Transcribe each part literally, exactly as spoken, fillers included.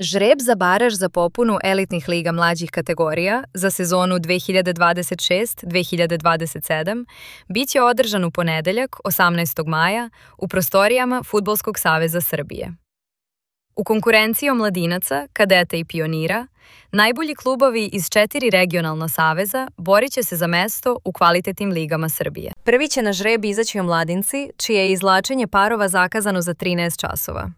Žreb za baraž za popunu elitnih liga mlađih kategorija za sezonu dve hiljade dvadeset šest dve hiljade dvadeset sedam bit će održan u ponedeljak, osamnaestog maja, u prostorijama Fudbalskog saveza Srbije. U konkurenciji omladinaca, kadeta i pionira, najbolji klubovi iz četiri regionalna saveza borit će se za mesto u kvalitetnim ligama Srbije. Prvi će na žreb izaći omladinci, čije je izvlačenje parova zakazano za trinaest časova.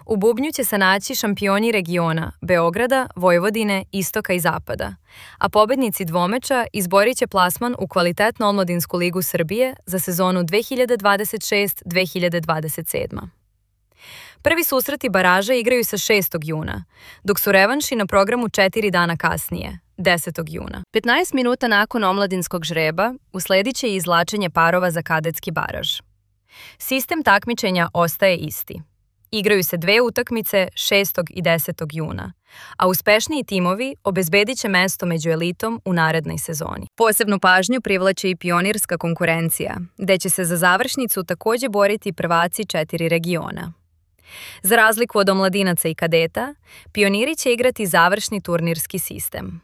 U bubnju će se naći šampioni regiona Beograda, Vojvodine, Istoka i Zapada, a pobednici dvomeča izborit će plasman u kvalitetnu omladinsku ligu Srbije za sezonu dve hiljade dvadeset šest dve hiljade dvadeset sedam. Prvi susreti baraža igraju se šestog juna, dok su revanši na programu četiri dana kasnije, desetog juna. petnaest minuta nakon omladinskog žreba usledit će i izvlačenje parova za kadetski baraž. Sistem takmičenja ostaje isti. Igraju se dve utakmice šestog i desetog juna, a uspešniji timovi obezbedit će mesto među elitom u narednoj sezoni. Posebnu pažnju privlači i pionirska konkurencija, gde će se za završnicu takođe boriti prvaci četiri regiona. Za razliku od omladinaca i kadeta, pioniri će igrati završni turnirski sistem.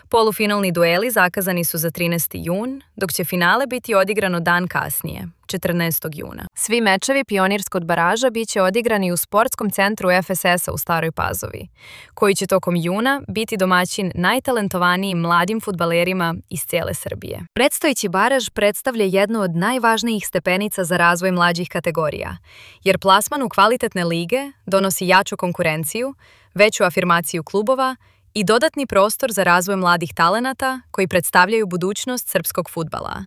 Polufinalni dueli zakazani su za trinaesti jun, dok će finale biti odigrano dan kasnije, četrnaestog juna. Svi mečevi pionirskog baraža bit će odigrani u sportskom centru F S S-a u Staroj Pazovi, koji će tokom juna biti domaćin najtalentovanijim mladim fudbalerima iz cijele Srbije. Predstojeći baraž predstavlja jednu od najvažnijih stepenica za razvoj mlađih kategorija, jer plasman u kvalitetne lige donosi jaču konkurenciju, veću afirmaciju klubova i dodatni prostor za razvoj mladih talenata koji predstavljaju budućnost srpskog fudbala.